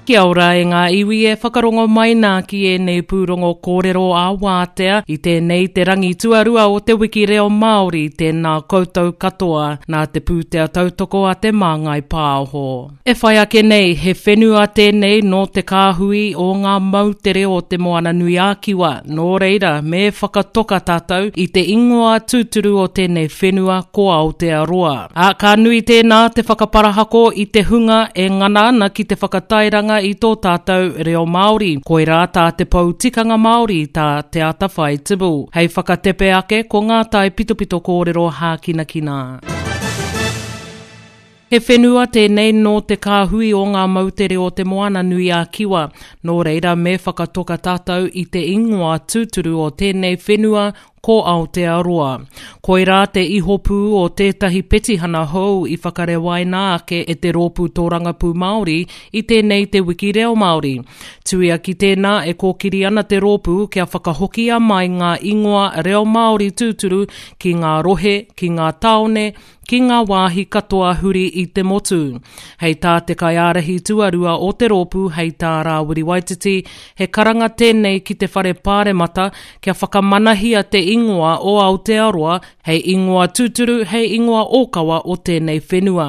Kia ora e ngā iwi e whakarongo mai nā ki ēnei pūrongo kōrero ā-wātea i tēnei te rangi tuarua o te wiki reo Māori tēnā koutou katoa nā te pūtea tautoko a Te Māngai Pāho. E whai ake nei he whenua tēnei nō te kāhui o ngā moutere o Te Moananui-a-Kiwa nō reira me whakatoka tātou i te ingoa tūturu o tēnei whenua ko Aotearoa. Ā, ka nui tēnā te whakaparahako i te hunga e ngana ana ki te whakatairanga i tō tātou reo Māori. Koirā tā te pou tikanga Māori, tā Te Atawhai Tibble. Hei whakatepe ake ko ngā taipitopito kōrero hākinakina. He whenua tēnei nō te kāhui o ngā moutere o Te Moana-nui-a-Kiwa, nō reira me whakatoka tātou i te ingoa tūturu o tēnei whenua Ko Aotearoa. Koirā te ihopū o tētahi petihana hou i whakarewaina ake e te Rōpū Tōrangapū Māori i tēnei Te Wiki Reo Māori. Tuia ki tēnā e kōkiri ana te rōpū kia whakahokia mai ngā ingoa reo Māori tūturu ki ngā rohe, ki ngā tāone, ki ngā wāhi katoa huri i te motu. Hei tā te kaiārahi tuarua o te rōpū hei tā Rāwiri Waititi, he karanga tēnei ki te whare pāremata kia whakamanahia te ingoa o Aotearoa hei ingoa tūturu, hei ingoa ōkawa o tēnei whenua.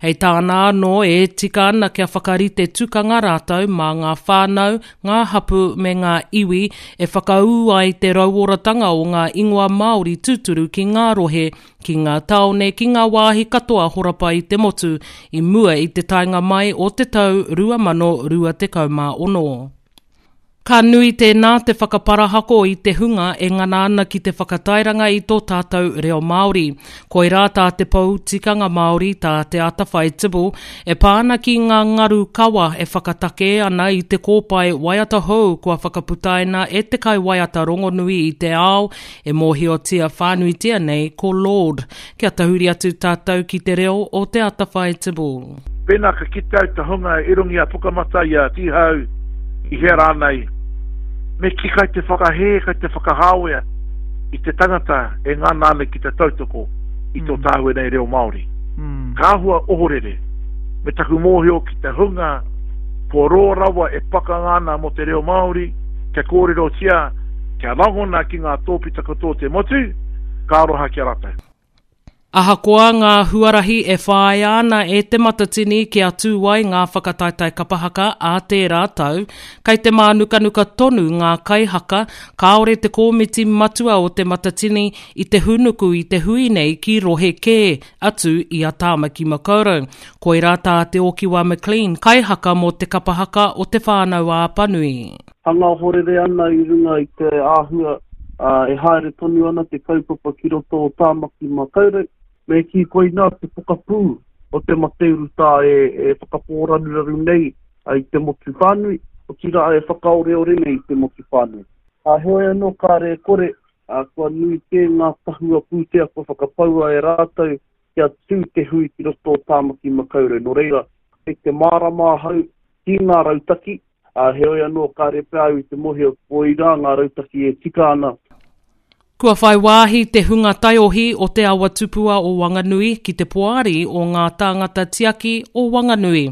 Hei tāna anō e tika ana kia whakarite tukanga rātou mā ngā whānau, ngā hapū me ngā iwi e whakaū ai te rauoratanga o ngā ingoa Māori tūturu ki ngā rohe, ki ngā tāone, ki ngā wāhi katoa horapa i te motu i mua i te taenga mai o te tau 2026. Ka nui tēnā te whakaparahako i te hunga e ngana ana ki te whakatairanga i tō tātou reo Māori. Koirā tā te pou tikanga Māori, tā Te Atawhai Tibble, e pā ana ki ngā ngaru kawa e whakatakē ana i te kōpae waiata hou kua whakaputaina e te kaiwaiata rongonui i te ao E mōhiotia whānuitia nei ko Lorde. Kia tahuri atu tātou ki te reo o Te Atawhai Tibble. Pēnā ka kite au te hunga i runga i a Pukamata, i a Tīhau, i hea rānei, me kī kai te whakahē, kai te whakahāwea i te tangata e ngana ana ki te tautoko i tō tāua nei reo Māori. Ka āhua ohorere me taku mōhio ki te hunga kua roa rawa e pakanga ana mō te reo Māori, kia kōrerotia Kia rangona ki ngā tōpita katoa o te motu, ka aroha ki a rātou. Ahakoa ngā huarahi e whāia ana e Te Matatini kia tū ai ngā whakataetae kapa haka ā tērā tau, kei te mānukanuka tonu ngā kaihaka kāore te kōmiti matua o Te Matatini i te hūnuku i te hui nei ki rohe kē atu i a Tāmaki Makaurau. Koirā tā Te Okiwa McLean, kaihaka mō te kapa haka o Te Whānau-ā-Apanui. Hanga ohorere ana i runga i te āhua e haere tonu ana te kaupapa ki roto o Tāmaki Makaurau. Me kī koinā te pokapū o te mate urutā e whakapōraruraru nei i te motu whānui, otirā e whakaoreore nei i te motu whānui. Heoi anō kāre e kore, kua nui kē ngā tahua pūtea kua whakapaua e rātou kia tū te hui ki roto o Tāmaki Makaurau. Nō reira, kei te mārama ahau ki ngā rautaki, Ā, heoi anō, kāre pea au i te mōhio koirā ngā rautaki e tika ana. Kua whai wāhi te hunga taiohi o Te Awa Tupua o Wanganui ki te Poari o Ngā Tāngata Tiaki o Wanganui.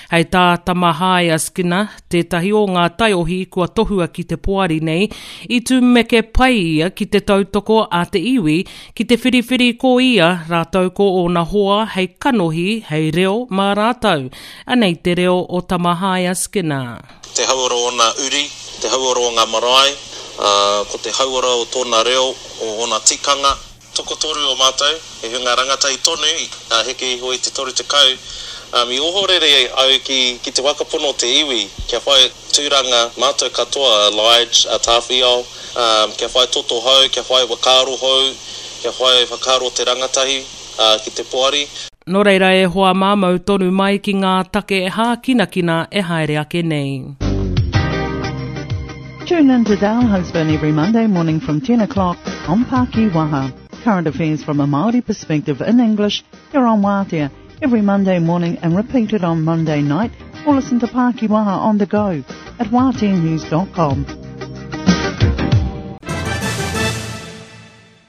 Hei tā Tamahaia Skinner, tētahi o ngā taiohi kua tohua ki te poari nei, i tumeke pai ia ki te tautoko a te iwi ki te whiriwhiri ko ia rātou ko ōna hoa hei kanohi, hei reo mā rātou. Anei te reo o Tamahaia Skinner. Te hauora o ōna uri, te hauora o ngā marae, ā, ko te hauora o tōna reo, o ōna tikanga. Tokotoru o mātou, he hunga rangatahi tonu, ā, heke iho i te 30, ā, i ohorere au ki, ki te whakapono o te iwi, kia whai tūranga mātou katoa, a Lige, a Tāwhiao, ā, kia whai toto hou, kia whai whakaaro hou, kia whai whakaaro te rangatahi, ā, ki te poari. Nō reira e hoa mā mau tonu mai ki ngā take hākinakina e haere ake nei. Tune in to Dale Husband every Monday morning from 10 o'clock on Paki Waha. Current affairs from a Māori perspective in English here on Wātea every Monday morning and repeated on Monday night or listen to Paki Waha on the go at wāteanews.com.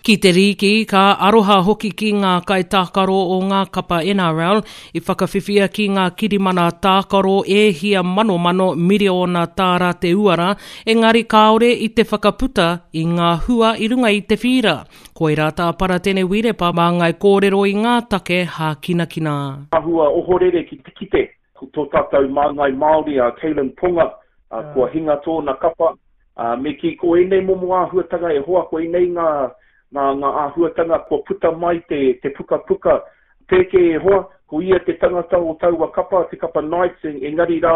Ki te rīki, ka aroha hoki ki ngā kaitākaro o ngā kapa NRL i whakawhiwhia ki ngā kirimana tākaro e hia manomano miriona tāra te uara, engari kāore i te whakaputa i ngā hua i runga i te whīra. Koirā tā Paratene Wirepa māngai kōrero i ngā take hākinakina. Āhua ohorere ki te kite ko tō tātou māngai Māori a Kalyn Ponga kua hinga tōna kapa, Ā, me kī, ko ēnei momo āhuatanga e hoa, ko ēnei ngā, ngā, ngā āhuatanga kua puta mai te, te pukapuka pēke e hoa, ko ia te tangata o taua kapa, te kapa Knights, engari rā,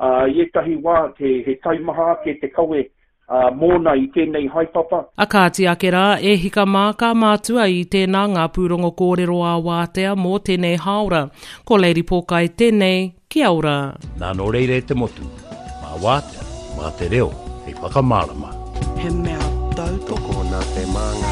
ā, i ētahi wā, he, he taimaha ake te kawe, ā, mōna i tēnei haepapa. A kāti ake rā, e hika mā ka mātua i tēnā ngā pūrongo kōrero ā-wātea mō tēnei hāora. Ko Lady Pōkai tēnei, Kia ora. Nā nō reira e te motu, mā wātea, mā te reo hei whakamārama. He mea tautoko. Tokona te māngai.